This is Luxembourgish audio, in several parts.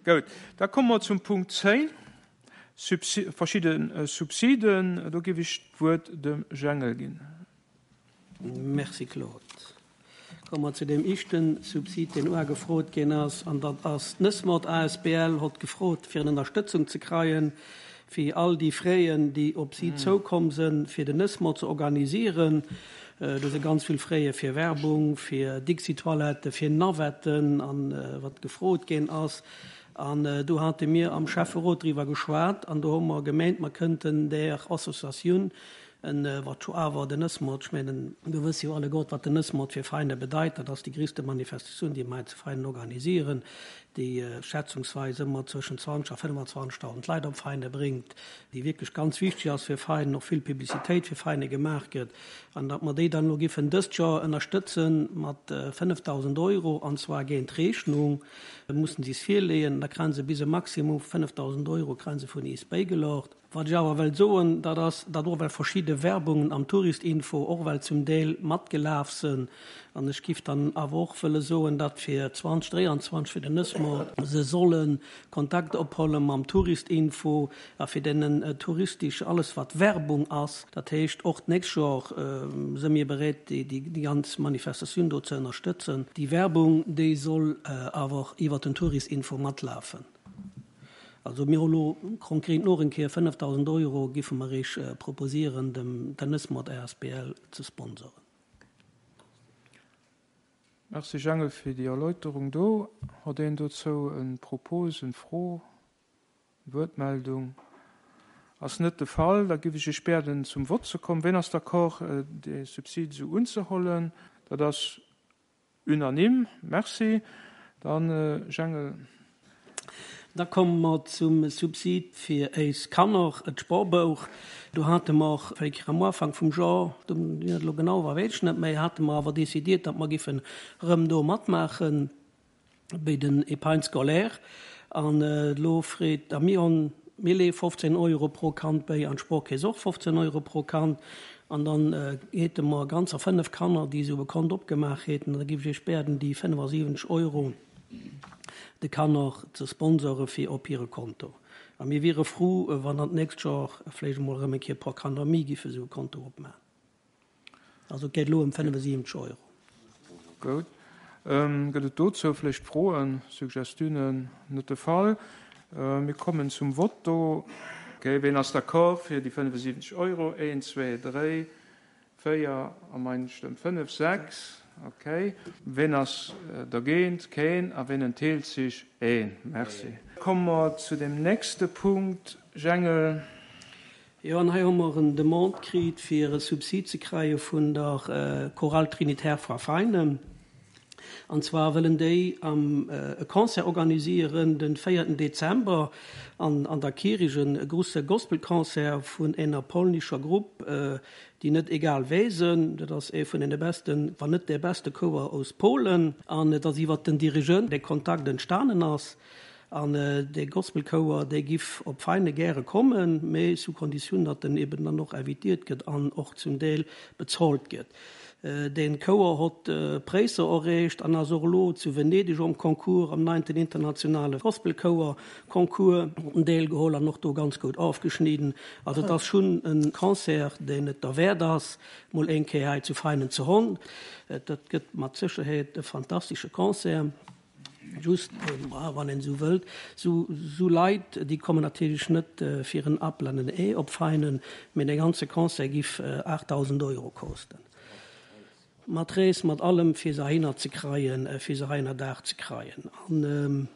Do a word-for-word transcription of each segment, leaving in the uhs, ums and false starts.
Goud, da komme mer zum Punkt zéng, verschidde Subsiden. Do géif ech d'Wuert dem Jengel ginn. Merci, Claude. Komme mer zu deem éischte Subsid, deen uagefrot ginn ass, an dat ass d'Nëssmod asbl hott gefrot, fir en Ënnerstëtzung ze kreien, fir all déi Fräen, déi op si zoukomm sinn, fir den Nëssmod ze organisieren. Do si ganz vill Fräe fir Werbung, fir Dixi-Toiletten, fir Navetten an wat gefrot ginn ass. An do hate mir am Schäfferot driwwer geschwat an do hu mer gemeent, mer kënnten där Associatioun En wat scho awer den Nëssmord, ech mengen, do wësse jo alleguert, wat den Nëssmord fir Veräiner bedeit, dat ass déi gréisste Manifestatioun, déi mer hei zu Veinen organisieren, déi schätzungsweis ëmmer zwëschen zwanzeg a fënnefenzwanzegtausend Leit op Veine bréngt, déi wierklech ganz wichteg ass fir Veinen, och vill Publicitéit fir Veine gemaach gëtt, an datt mer déi dann elo giffen dëst Joer ënnerstëtze mat fënnefdausend Euro, an zwar géint Rechnung, mussen si es virleeën, da kréie se bis e Maximum vu fënnefdausend Euro kréie se vun is bäigelocht. Wat ech awer wëllt soen, dat ass, datt och well verschidde Werbungen am Touristinfo och well zum Deel matgelaf sënn, an ech giff dann awer och wëlle soen, datt fir zwanzeg dräianzwanzeg fir den Nëssmoort se solle Kontakt opholle mam Touristinfo a fir deenen touristesch alles wat Werbung ass, dat heescht och d'nächst Joer së mir bereet déi déi ganz Manifestatioun do ze ënnerstëtzen. Déi Werbung déi soll awer iwwert den Touristinfo matlafen. Also mir hu lo konkret noch eng Kéier fënnefdausend Euro giffe mer Iech proposieren, dem Tennismod asbl ze sponsoren. Merci Jangel fir déi Erläuterung do. Hott een dozou en Propos, en Fro, Wuertmeldung? Ass net de Fall. Da giff ech Iech bieden zum Vott ze kommen. Ween ass d'accord dee Subsid esou unzehollen? Dat ass unanime. Merci. Dann Jangel. Da komme mer zum Subsid fir éis Kanner, d'Sporbouch. Do hate mer wéi kéier am Ufank vum Joer, wéi dat elo genau war, weess ech net méi, hate mer awer decidiert, datt mer giffen erëm do matmaache béi den Épargne scolaire. An elo freet, a mir hunn, mir leeë fofzéng Euro pro Kand béi an d'Sportkeess och fofzéng Euro pro Kand. An dann hate mer ganzer fënnef Kanner, déi esou e Kont opgemaach häten. An da géif ech Iech bieden, déi fënnefasiwwenzeg Euro de Kanner ze sponsore fir op hire Konto. A mir wiere frou, wann dann d'nächst Joer vläicht emol erëm eng Kéier e puer Kanner méi giffe esou e Konto opmachen. Also et geet elo ëm fënnefasiwwenzeg Euro. Goud. Gëtt et dozou vläicht Froen, Suggestiounen? Net de Fall. Mir kommen zum Vott do. Okay, ween ass d'accord fir déi fënnefasiwwenzeg Euro? Een, zwee, dréi, véier a mein Stëmm fënnef, sechs. Okay. Ween ass dergéint? Keen. A ween entheelt sech? Een. Merci. Komme mer zu dem nächste Punkt, Jengel. Jo, an hei hu mer en Demande kritt, fir e Subsid ze kreie vun der Chorale Trinitaire Fra Feinen. An zwar wëllen déi am e Concert organisieren den véierten Dezember an an der Kirich, e grusse Gospelconcert vun ener polnischer Grupp, déi net egal wéi sënn. Dat ass ee vun den besten, wann net dee beste Chouer aus Polen. An et ass iwwert den Dirigent dee Kontakt entstanen ass. An dee Gospelchouer, dee giff op Veine gäre kommen, mee sous Konditioun, datt en eben dann och invitiert gëtt an och zum Deel bezolt gëtt. Dee Chouer hott Präisser erreecht an ass och elo zu Venedeg um Concours, am neinten internationale Gospelchouer Concours deelgeholl an och do ganz gutt ofgeschnidden. Also et ass schonn e Concert, deen et derwäert ass, mol eng Kéier hei zu Veinen ze honn. Dat gëtt mat Sécherheet e fantastesche Concert. Just, wann een esou wëllt, sou Leit, déi kommen natierlech net fir en Apel an en Ee op Veinen, mee dee ganze Concert giff aachtdausend Euro kosten. Mat Rees, mat allem, fir se heihinner ze kreien, fir se hei ënnerdaach ze kreien. An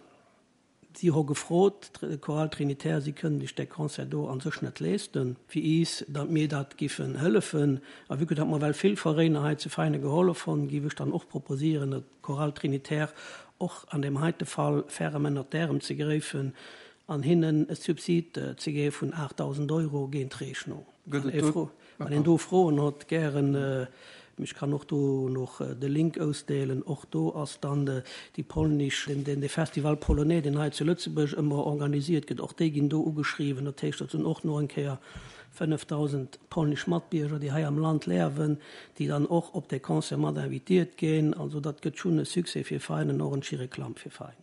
si hu gefrot, d'Chorale Trinitaire, si kënnen sech dee Concert do a sech net leesten, fir is, datt mir dat giffen hëllefen. A vue que datt mer well vill Veräiner hei zu Veinen gehollef hunn, giff ech dann och proposieren, datt d'Chorale Trinitaire och an deem heite Fall ferrem ënnert d'Ärem ze gräifen an hinnen e Subsid ze gi vun aachtdausend Euro géint Rechnung. Wann een do Froen huet, gären. Ech kann och do noch de Link ausdeelen. Och do ass dann déi polnisch, den de Festival Polonais, deen hei zu Lëtzebuerg ëmmer organisiert gëtt, och déi ginn do ugeschriwwen. Dat heescht, dat sinn och no eng Kéier fënnefdausend polnisch Matbierger, déi hei am Land leawen, déi dann och op dee Concert mat invitiert ginn. Also dat gëtt schonn e Succès fir Veinen, och en Schireklamm fir Veinen.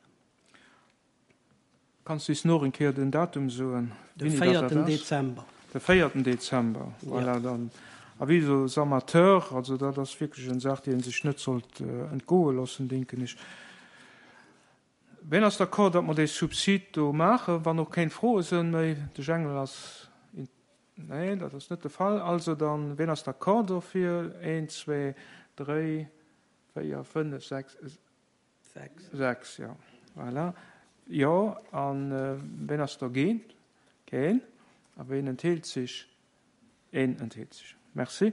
Kanns du is noch eng Kéier den Datum soen? De véierten Dezember. De véierten Dezember, voilà. Dann avis aux amateurs, also dat ass wierklech eng Saach, déi een sech net sollt entgoe loossen, denken ech. Ween ass d'accord, datt mer dee Subsid do maachen, wann och keng Froe sënn méi? De Jengel ass, nee, dat ass net de Fall. Also dann, ween ass d'accord dofir? Een, zwee, dréi, véier, fënnef, sechs, Sechs. Sechs, jo. Voilà. Jo, a ween ass dergéint? Keen. A ween entheelt sech? Een entheelt sech. Merci.